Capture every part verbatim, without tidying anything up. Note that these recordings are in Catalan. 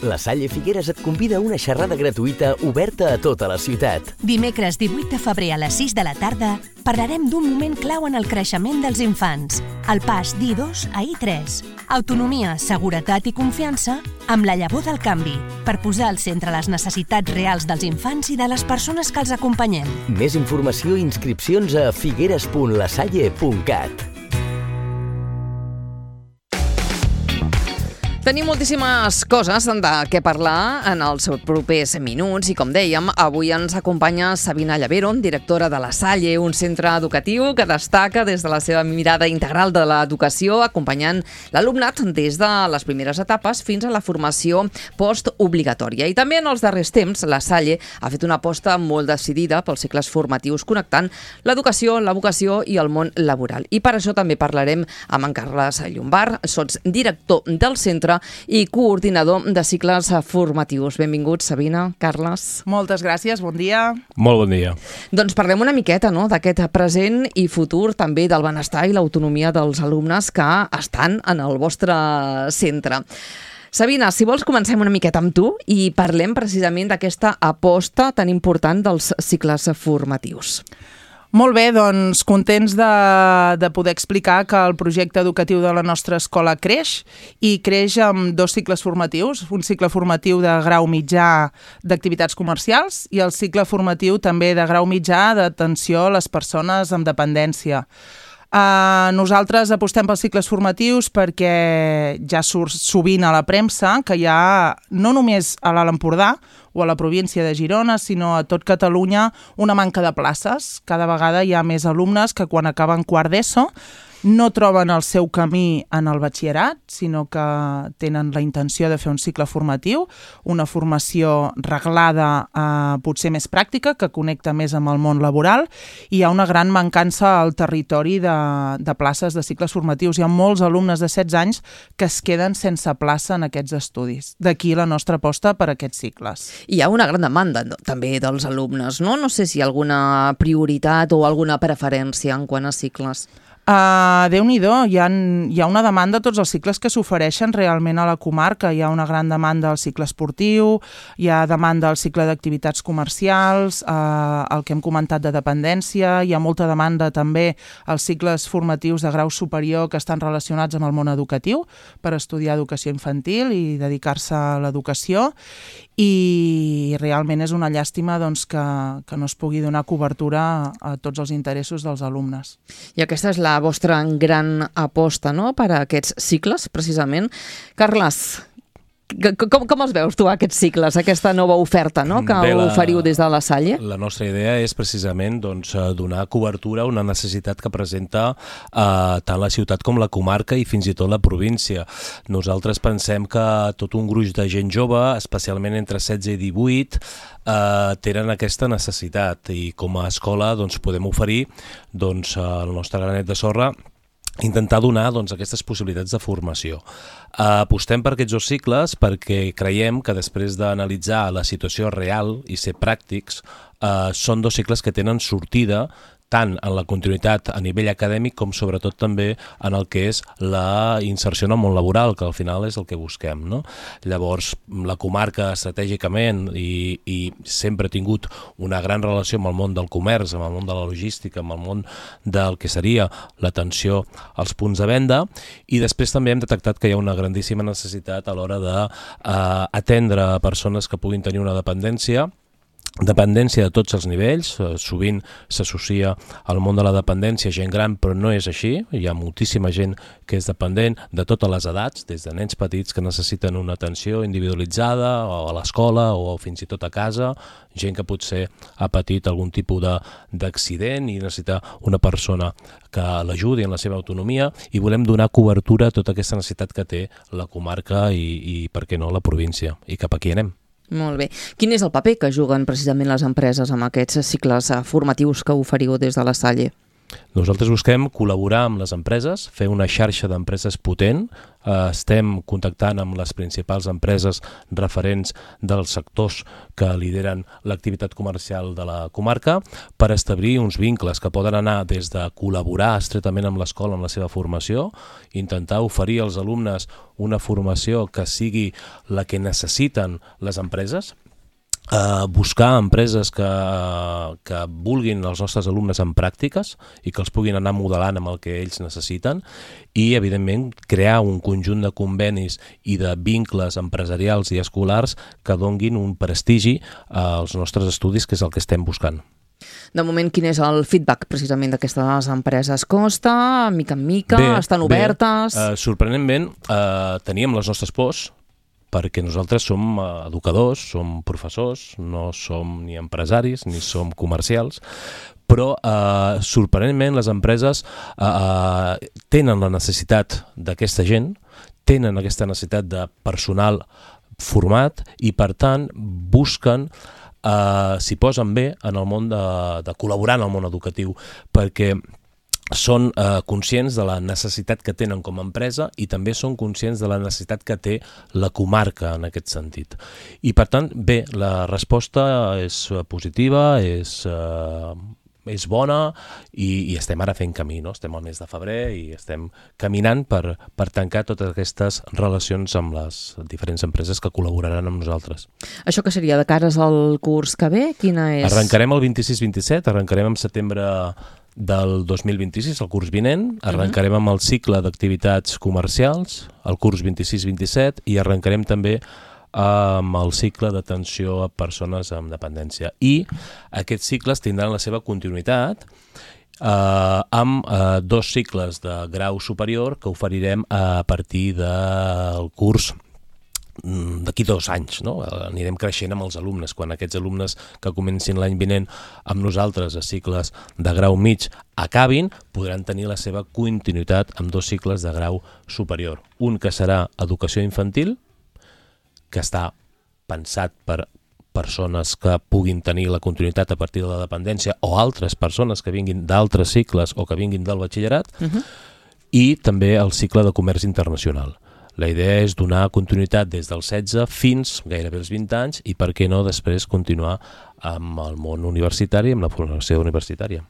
La Salle Figueres et convida a una xerrada gratuïta oberta a tota la ciutat. Dimecres divuit de febrer a les sis de la tarda parlarem d'un moment clau en el creixement dels infants, el pas d'I dos a I tres. Autonomia, seguretat i confiança amb la llavor del canvi, per posar al centre les necessitats reals dels infants i de les persones que els acompanyem. Més informació i inscripcions a figueres punt la salle punt cat. Tenim moltíssimes coses de què parlar en els propers minuts i, com dèiem, avui ens acompanya Sabina Llavero, directora de La Salle, un centre educatiu que destaca des de la seva mirada integral de l'educació, acompanyant l'alumnat des de les primeres etapes fins a la formació postobligatòria. I també en els darrers temps, La Salle ha fet una aposta molt decidida pels cicles formatius, connectant l'educació, la vocació i el món laboral. I per això també parlarem amb en Carles Llombart, sots director del centre i coordinador de cicles formatius. Benvinguts, Sabina, Carles. Moltes gràcies, bon dia. Molt bon dia. Doncs parlem una miqueta, no?, d'aquest present i futur, també del benestar i l'autonomia dels alumnes que estan en el vostre centre. Sabina, si vols comencem una miqueta amb tu i parlem precisament d'aquesta aposta tan important dels cicles formatius. Molt bé, doncs contents de, de poder explicar que el projecte educatiu de la nostra escola creix i creix amb dos cicles formatius, un cicle formatiu de grau mitjà d'activitats comercials i el cicle formatiu també de grau mitjà d'atenció a les persones amb dependència. Uh, nosaltres apostem pels cicles formatius perquè ja surt sovint a la premsa que hi ha, no només a l'Alt Empordà o a la província de Girona, sinó a tot Catalunya, una manca de places. Cada vegada hi ha més alumnes que quan acaben quart d'ESO no troben el seu camí en el batxillerat, sinó que tenen la intenció de fer un cicle formatiu, una formació reglada, eh, potser més pràctica, que connecta més amb el món laboral, i hi ha una gran mancança al territori de, de places de cicles formatius. Hi ha molts alumnes de setze anys que es queden sense plaça en aquests estudis. D'aquí la nostra aposta per aquests cicles. Hi ha una gran demanda també dels alumnes, no? No sé si hi ha alguna prioritat o alguna preferència en quant a cicles. Uh, Déu-n'hi-do, hi ha, hi ha una demanda a tots els cicles que s'ofereixen realment a la comarca. Hi ha una gran demanda al cicle esportiu, hi ha demanda al cicle d'activitats comercials, uh, el que hem comentat de dependència, hi ha molta demanda també als cicles formatius de grau superior que estan relacionats amb el món educatiu per estudiar educació infantil i dedicar-se a l'educació, i realment és una llàstima doncs, que, que no es pugui donar cobertura a tots els interessos dels alumnes. I aquesta és la la vostra gran aposta, no?, per a aquests cicles, precisament. Carles, com, com els veus tu, aquests cicles, aquesta nova oferta, no?, que Bé, la, oferiu des de La Salle? La nostra idea és precisament doncs, donar cobertura a una necessitat que presenta eh, tant la ciutat com la comarca i fins i tot la província. Nosaltres pensem que tot un gruix de gent jove, especialment entre setze i divuit, Uh, tenen aquesta necessitat, i com a escola doncs, podem oferir doncs, el nostre granet de sorra, intentar donar doncs, aquestes possibilitats de formació. Uh, apostem per aquests dos cicles perquè creiem que després d'analitzar la situació real i ser pràctics, uh, són dos cicles que tenen sortida tant en la continuïtat a nivell acadèmic com sobretot també en el que és la inserció en el món laboral, que al final és el que busquem, no? Llavors, la comarca estratègicament i, i sempre ha tingut una gran relació amb el món del comerç, amb el món de la logística, amb el món del que seria l'atenció als punts de venda, i després també hem detectat que hi ha una grandíssima necessitat a l'hora d'atendre uh, persones que puguin tenir una dependència, dependència de tots els nivells. Sovint s'associa al món de la dependència gent gran, però no és així. Hi ha moltíssima gent que és dependent de totes les edats, des de nens petits que necessiten una atenció individualitzada o a l'escola o fins i tot a casa, gent que potser ha patit algun tipus de, d'accident i necessita una persona que l'ajudi en la seva autonomia, i volem donar cobertura a tota aquesta necessitat que té la comarca i, i per què no, la província, i cap aquí anem. Molt bé. Quin és el paper que juguen precisament les empreses amb aquests cicles formatius que oferiu des de La Salle? Nosaltres busquem col·laborar amb les empreses, fer una xarxa d'empreses potent. Eh, estem contactant amb les principals empreses referents dels sectors que lideren l'activitat comercial de la comarca per establir uns vincles que poden anar des de col·laborar estretament amb l'escola en la seva formació, intentar oferir als alumnes una formació que sigui la que necessiten les empreses, Uh, buscar empreses que, que vulguin els nostres alumnes en pràctiques i que els puguin anar modelant amb el que ells necessiten i, evidentment, crear un conjunt de convenis i de vincles empresarials i escolars que donguin un prestigi als nostres estudis, que és el que estem buscant. De moment, quin és el feedback precisament d'aquestes empreses? Costa, mica en mica, bé, estan obertes? Bé. Uh, sorprenentment, uh, teníem les nostres pors, perquè nosaltres som educadors, som professors, no som ni empresaris ni som comercials, però eh, sorprenentment les empreses eh, tenen la necessitat d'aquesta gent, tenen aquesta necessitat de personal format i per tant busquen, eh, s'hi posen bé en el món de, de col·laborar en el món educatiu, perquè són eh, conscients de la necessitat que tenen com a empresa i també són conscients de la necessitat que té la comarca en aquest sentit. I per tant, bé, la resposta és positiva, és, eh, és bona i, i estem ara fent camí, no? Estem al mes de febrer i estem caminant per, per tancar totes aquestes relacions amb les diferents empreses que col·laboraran amb nosaltres. Això que seria de cares al curs que ve? Quina és? Arrencarem el vint-i-sis vint-i-set, arrencarem en setembre del dos mil vint-i-sis, el curs vinent, arrencarem amb el cicle d'activitats comercials, el curs vint-i-sis vint-i-set, i arrencarem també amb el cicle d'atenció a persones amb dependència. I aquests cicles tindran la seva continuïtat eh, amb eh, dos cicles de grau superior que oferirem a partir del curs d'aquí dos anys, no? Anirem creixent amb els alumnes. Quan aquests alumnes que comencin l'any vinent amb nosaltres a cicles de grau mig acabin, podran tenir la seva continuïtat amb dos cicles de grau superior. Un que serà educació infantil, que està pensat per persones que puguin tenir la continuïtat a partir de la dependència o altres persones que vinguin d'altres cicles o que vinguin del batxillerat, uh-huh. i també el cicle de comerç internacional. La idea és donar continuïtat des dels setze fins gairebé els vint anys i, per què no, després continuar amb el món universitari, amb la formació universitària.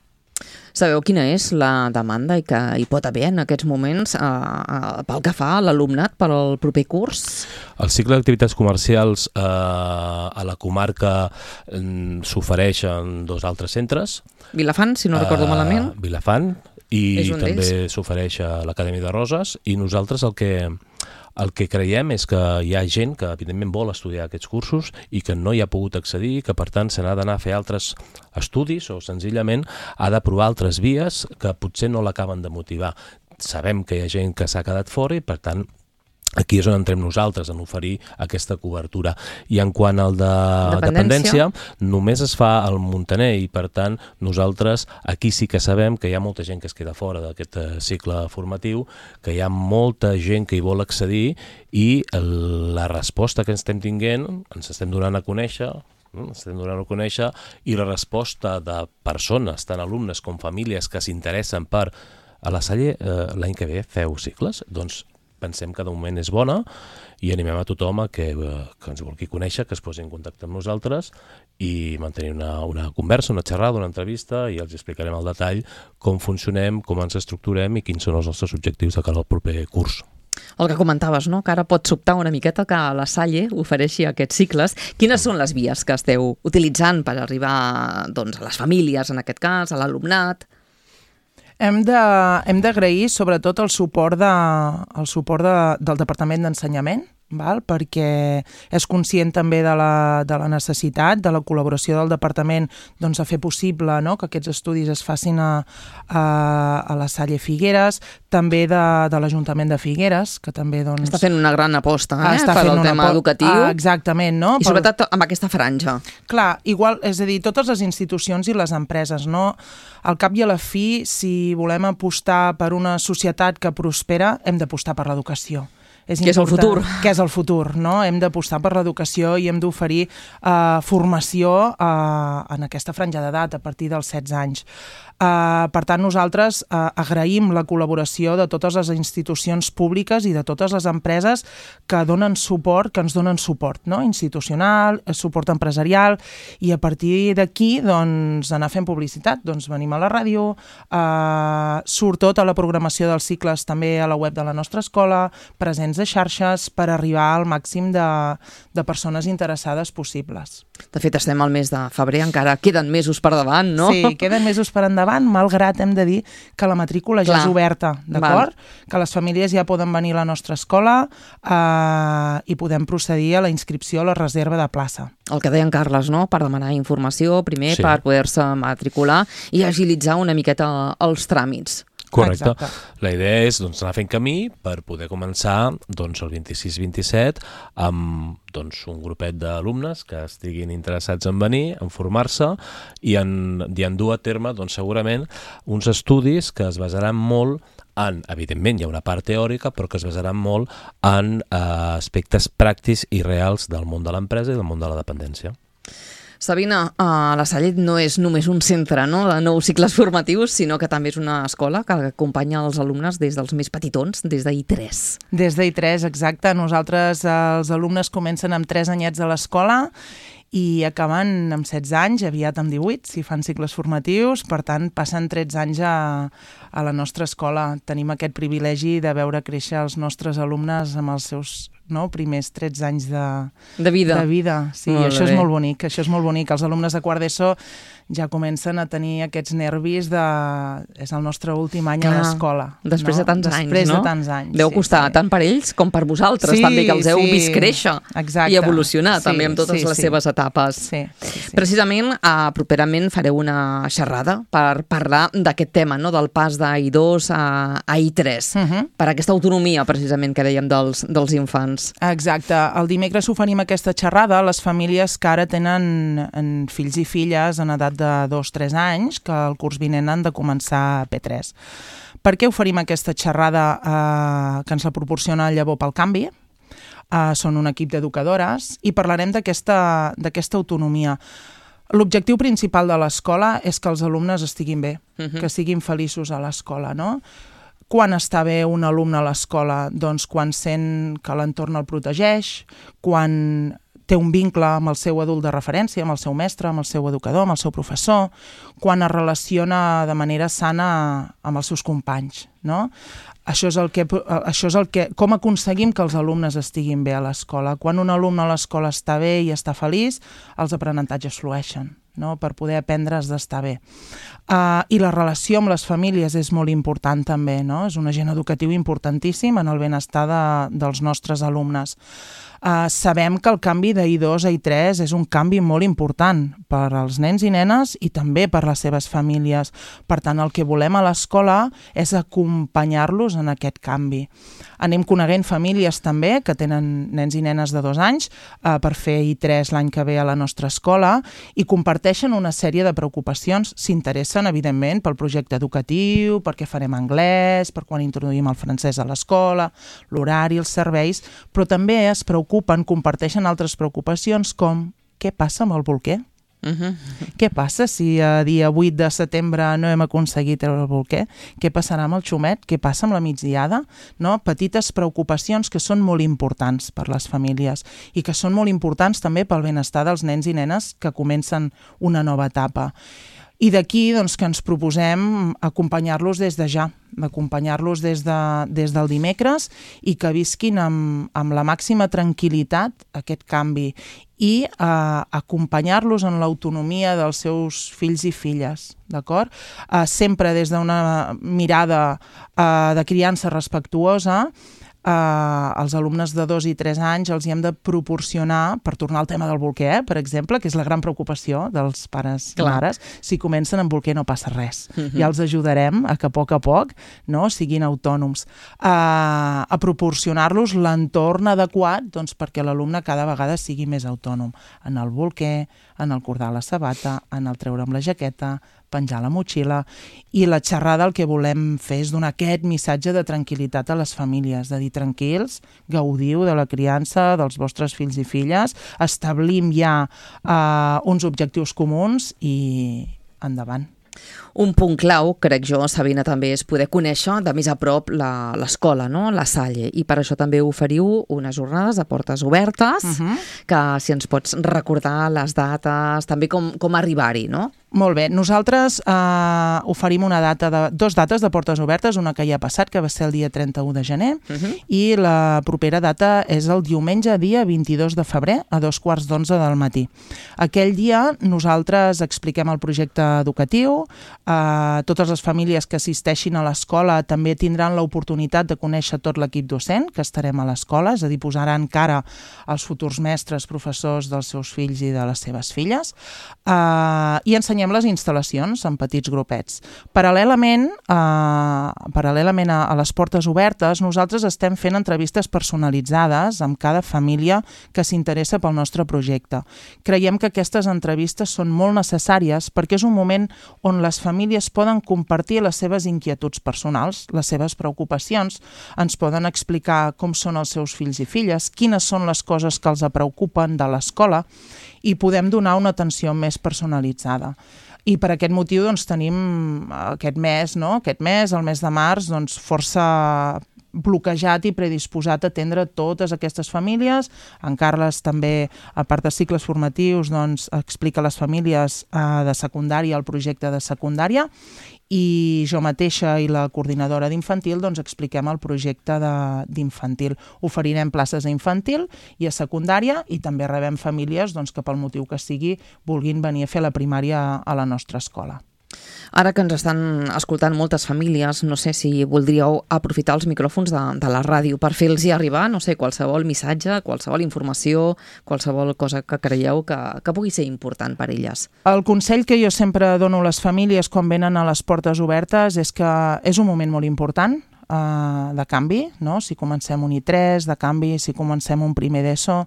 Sabeu quina és la demanda i que hi pot haver en aquests moments eh, eh, pel que fa a l'alumnat per al proper curs? El cicle d'activitats comercials eh, a la comarca eh, s'ofereix en dos altres centres. Vilafant, si no recordo uh, malament. Vilafant, i també s'ofereix a l'Acadèmia de Roses, i nosaltres el que, el que creiem és que hi ha gent que evidentment vol estudiar aquests cursos i que no hi ha pogut accedir, que per tant se n'ha d'anar a fer altres estudis o senzillament ha de provar altres vies que potser no l'acaben de motivar. Sabem que hi ha gent que s'ha quedat fora i per tant aquí és on entrem nosaltres, en oferir aquesta cobertura. I en quant al de dependència, dependència només es fa al Muntaner i, per tant, nosaltres aquí sí que sabem que hi ha molta gent que es queda fora d'aquest cicle formatiu, que hi ha molta gent que hi vol accedir i la resposta que ens estem tinguent, ens estem donant a conèixer, ens estem donant a conèixer, i la resposta de persones, tant alumnes com famílies, que s'interessen per a la Salle eh, l'any que ve feu cicles, doncs pensem que de moment és bona i animem a tothom a que, que ens vulgui conèixer, que es posi en contacte amb nosaltres i mantenir una, una conversa, una xerrada, una entrevista, i els explicarem al detall com funcionem, com ens estructurem i quins són els nostres objectius de cara al proper curs. El que comentaves, no? Que ara pot sobtar una miqueta que la Salle ofereixi aquests cicles. Quines són les vies que esteu utilitzant per arribar, doncs, a les famílies, en aquest cas, a l'alumnat? Hem de, hem d'agrair sobretot el suport, de, el suport de, del Departament d'Ensenyament, val? Perquè és conscient també de la, de la necessitat, de la col·laboració del Departament, doncs, a fer possible, no?, que aquests estudis es facin a, a, a la Salle Figueres, també de, de l'Ajuntament de Figueres, que també, doncs... Està fent una gran aposta, eh?, Està per fent al tema educatiu. Ah, exactament, no? I sobretot amb aquesta franja. Clar, igual, és a dir, totes les institucions i les empreses, no? Al cap i a la fi, si volem apostar per una societat que prospera, hem d'apostar per l'educació. És que és el futur. Que és el futur, no? Hem d'apostar per l'educació i hem d'oferir uh, formació uh, en aquesta franja d'edat, a partir dels setze anys. Uh, per tant, nosaltres uh, agraïm la col·laboració de totes les institucions públiques i de totes les empreses que donen suport, que ens donen suport, no? Institucional, suport empresarial, i a partir d'aquí, doncs, anar fent publicitat. Doncs venim a la ràdio, uh, surt tota la programació dels cicles també a la web de la nostra escola, presents de xarxes, per arribar al màxim de, de persones interessades possibles. De fet, estem al mes de febrer, encara queden mesos per davant, no? Sí, queden mesos per endavant, malgrat hem de dir que la matrícula ja Clar. és oberta, d'acord? Que les famílies ja poden venir a la nostra escola eh, i podem procedir a la inscripció, a la reserva de plaça. El que deia en Carles, no? Per demanar informació, primer, Sí. per poder-se matricular i agilitzar una miqueta els tràmits. Correcte. Exacte. La idea és doncs, anar fent camí per poder començar doncs, el vint-i-sis vint-i-set amb doncs, un grupet d'alumnes que estiguin interessats en venir, en formar-se i en, i en dur a terme doncs, segurament uns estudis que es basaran molt en, evidentment hi ha una part teòrica, però que es basaran molt en eh, aspectes pràctics i reals del món de l'empresa i del món de la dependència. Sabina, uh, la Salle no és només un centre, no?, de nous cicles formatius, sinó que també és una escola que acompanya els alumnes des dels més petitons, des d'I tres. Des d'I tres, exacte. Nosaltres, eh, els alumnes comencen amb tres anyets a l'escola i acaben amb setze anys, aviat amb divuit, si fan cicles formatius. Per tant, passen tretze anys a, a la nostra escola. Tenim aquest privilegi de veure créixer els nostres alumnes amb els seus no, primers tretze anys de, De vida. de vida. Sí, Molt això bé. és molt bonic, això és molt bonic. Els alumnes de quart d'ESO ja comencen a tenir aquests nervis de... És el nostre últim any Clar, a l'escola. després no? de tants anys, Després no? de tants anys. Deu sí, costar sí. tant per ells com per vosaltres, Sí, també, que els heu sí. vist créixer Exacte. i evolucionar Sí, també amb totes sí, les sí. seves etapes. Sí, sí, sí. Precisament, uh, properament fareu una xerrada per parlar d'aquest tema, no?, del pas d'I dos a, a I tres, Uh -huh. per aquesta autonomia, precisament, que dèiem dels, dels infants. Exacte. El dimecres oferim aquesta xerrada a les famílies que ara tenen en fills i filles en edat de dos a tres anys, que el curs vinent han de començar a P tres. Per què oferim aquesta xerrada eh, que ens la proporciona el Llavor pel Canvi? Uh, són un equip d'educadores i parlarem d'aquesta d'aquesta autonomia. L'objectiu principal de l'escola és que els alumnes estiguin bé, Mhm. que siguin feliços a l'escola, no? Quan està bé un alumne a l'escola? Doncs quan sent que l'entorn el protegeix, quan té un vincle amb el seu adult de referència, amb el seu mestre, amb el seu educador, amb el seu professor, quan es relaciona de manera sana amb els seus companys, no? Això és el que, això és el que, com aconseguim que els alumnes estiguin bé a l'escola. Quan un alumne a l'escola està bé i està feliç, els aprenentatges flueixen, no? Per poder aprendre has d'estar bé. Uh, I la relació amb les famílies és molt important també, no? És un agent educatiu importantíssim en el benestar de, dels nostres alumnes. Uh, sabem que el canvi d'I dos a I tres és un canvi molt important per als nens i nenes i també per les seves famílies. Per tant, el que volem a l'escola és acompanyar-los en aquest canvi. Anem coneguent famílies també que tenen nens i nenes de dos anys uh, per fer I tres l'any que ve a la nostra escola i comparteixen una sèrie de preocupacions. S'interessen, evidentment, pel projecte educatiu, per què farem anglès, per quan introduïm el francès a l'escola, l'horari, els serveis, però també es preocupen, comparteixen altres preocupacions com què passa amb el bolquer? Uh -huh. Què passa si a dia vuit de setembre no hem aconseguit treure el bolquer? Què passarà amb el xumet? Què passa amb la migdiada? No? Petites preocupacions que són molt importants per les famílies i que són molt importants també pel benestar dels nens i nenes que comencen una nova etapa. I d'aquí doncs, que ens proposem acompanyar-los des de ja, acompanyar-los des, de, des del dimecres i que visquin amb, amb la màxima tranquil·litat aquest canvi i eh, acompanyar-los en l'autonomia dels seus fills i filles, d'acord? Eh, sempre des d'una mirada eh, de criança respectuosa. Uh, els alumnes de dos i tres anys els hi hem de proporcionar, per tornar al tema del bolquer, per exemple, que és la gran preocupació dels pares Clar. i mares, si comencen amb bolquer no passa res. Uh-huh. Ja els ajudarem a que a poc a poc no, siguin autònoms. Uh, a proporcionar-los l'entorn adequat doncs, perquè l'alumne cada vegada sigui més autònom. En el bolquer, en el cordar la sabata, en el treure amb la jaqueta, penjar la motxilla, i la xerrada el que volem fer és donar aquest missatge de tranquil·litat a les famílies, de dir tranquils, gaudiu de la criança dels vostres fills i filles, establim ja uh, uns objectius comuns i endavant. Un punt clau, crec jo, Sabina, també és poder conèixer de més a prop l'escola, no? La Salle, i per això també oferiu unes jornades de portes obertes, uh-huh. que si ens pots recordar les dates, també com, com arribar-hi, no? Molt bé, nosaltres eh, oferim una data de, dos dates de portes obertes, una que ja ha passat, que va ser el dia trenta-u de gener, uh-huh. i la propera data és el diumenge, dia vint-i-dos de febrer, a dos quarts d'onze del matí. Aquell dia nosaltres expliquem el projecte educatiu, eh, totes les famílies que assisteixin a l'escola també tindran l'oportunitat de conèixer tot l'equip docent que estarem a l'escola, és a dir, posaran cara als futurs mestres, professors dels seus fills i de les seves filles, eh, i ensenyem les instal·lacions en petits grupets. Paral·lelament, eh, paral·lelament a, a les portes obertes, nosaltres estem fent entrevistes personalitzades amb cada família que s'interessa pel nostre projecte. Creiem que aquestes entrevistes són molt necessàries perquè és un moment on les famílies poden compartir les seves inquietuds personals, les seves preocupacions, ens poden explicar com són els seus fills i filles, quines són les coses que els preocupen de l'escola, i podem donar una atenció més personalitzada. I per aquest motiu doncs, tenim aquest mes, no? aquest mes, el mes de març, doncs, força bloquejat i predisposat a atendre totes aquestes famílies. En Carles també, a part de cicles formatius, doncs, explica a les famílies eh, de secundària el projecte de secundària, i jo mateixa i la coordinadora d'infantil doncs, expliquem el projecte d'infantil. Oferirem places a infantil i a secundària, i també rebem famílies doncs, que pel motiu que sigui vulguin venir a fer la primària a la nostra escola. Ara que ens estan escoltant moltes famílies, no sé si voldríeu aprofitar els micròfons de, de la ràdio per fer-los arribar, no sé, qualsevol missatge, qualsevol informació, qualsevol cosa que creieu que, que pugui ser important per elles. El consell que jo sempre dono a les famílies quan venen a les portes obertes és que és un moment molt important, eh, de canvi, no? Si comencem un I tres, de canvi, si comencem un primer d'ESO,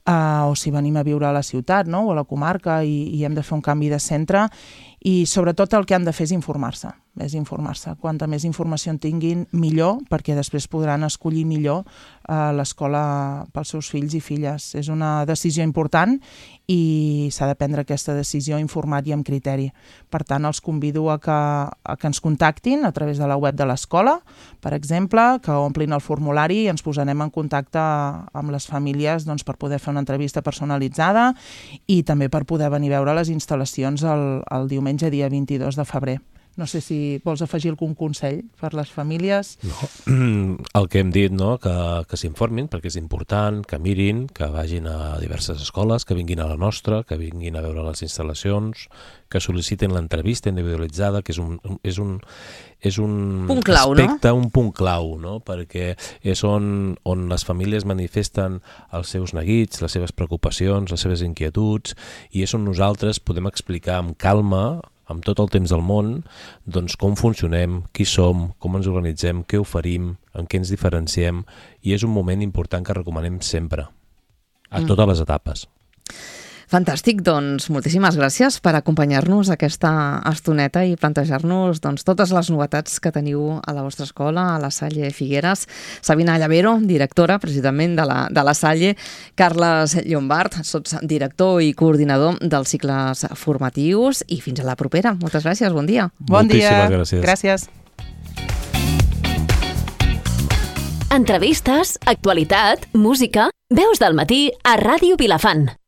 Uh, o si venim a viure a la ciutat, no? O a la comarca, i, i hem de fer un canvi de centre, i sobretot el que han de fer és informar-se, és informar-se. Quanta més informació en tinguin, millor, perquè després podran escollir millor uh, l'escola pels seus fills i filles. És una decisió important i s'ha de prendre aquesta decisió informat i amb criteri. Per tant, els convido a que, a que ens contactin a través de la web de l'escola, per exemple, que omplin el formulari i ens posarem en contacte amb les famílies doncs, per poder fer una entrevista personalitzada i també per poder venir a veure les instal·lacions el, el diumenge dia vint-i-dos de febrer. No sé si vols afegir algun consell per les famílies. No. El que hem dit, no? que, que s'informin, perquè és important, que mirin, que vagin a diverses escoles, que vinguin a la nostra, que vinguin a veure les instal·lacions, que sol·licitin l'entrevista individualitzada, que és un, és un, és un punt clau, aspecte, no? un punt clau, no? Perquè és on, on les famílies manifesten els seus neguits, les seves preocupacions, les seves inquietuds, i és on nosaltres podem explicar amb calma, amb tot el temps del món, doncs com funcionem, qui som, com ens organitzem, què oferim, en què ens diferenciem, i és un moment important que recomanem sempre, a mm. totes les etapes. Fantàstic, doncs moltíssimes gràcies per acompanyar-nos aquesta estoneta i plantejar-nos doncs, totes les novetats que teniu a la vostra escola, a la Salle Figueres. Sabina Llavero, directora precisament de la, de la Salle, Carles Llombart, sots director i coordinador dels cicles formatius, i fins a la propera. Moltes gràcies, bon dia. Bon dia. Gràcies. Gràcies. Entrevistes, actualitat, música, veus del matí a Ràdio Vilafant.